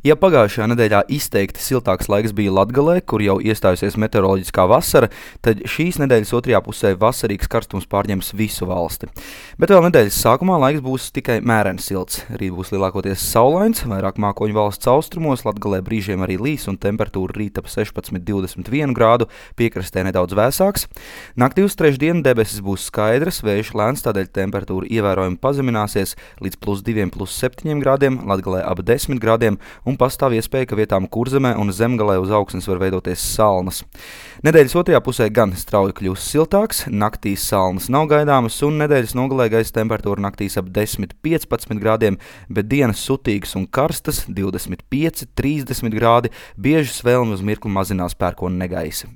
Ja pagājušajā nedēļā izteikti siltāks laiks bija Latgalē, kur jau iestājusies meteoroloģiskā vasara, tad šīs nedēļas otrajā pusē vasarīgs karstums pārņems visu valsti. Bet vēl nedēļas sākumā laiks būs tikai mēreni silts. Rīt būs lielākoties saulains, vairāk mākoņu valsts austrumos, Latgalē brīžiem arī līs un temperatūra rīt ap 16–21 grādu, piekrastē nedaudz vēsāks. Naktī uz trešdienu debesis būs skaidras, vējš lēns, tādēļ temperatūra ievērojami pazemināsies līdz +2–7 grādiem, Latgalē ap 10 grādiem, un pastāv iespēja, ka vietām Kurzemē un Zemgalē uz augsnes var veidoties salnas. Nedēļas otrajā pusē gan strauji kļūs siltāks, naktīs salnas nav gaidāmas un nedēļas nogalē gaisa temperatūra naktīs ap 10–15 grādiem, bet dienas sutīgas un karstas 25–30 grādi, bieži svēlmi uz mirkli mazinās pērkona negaisa.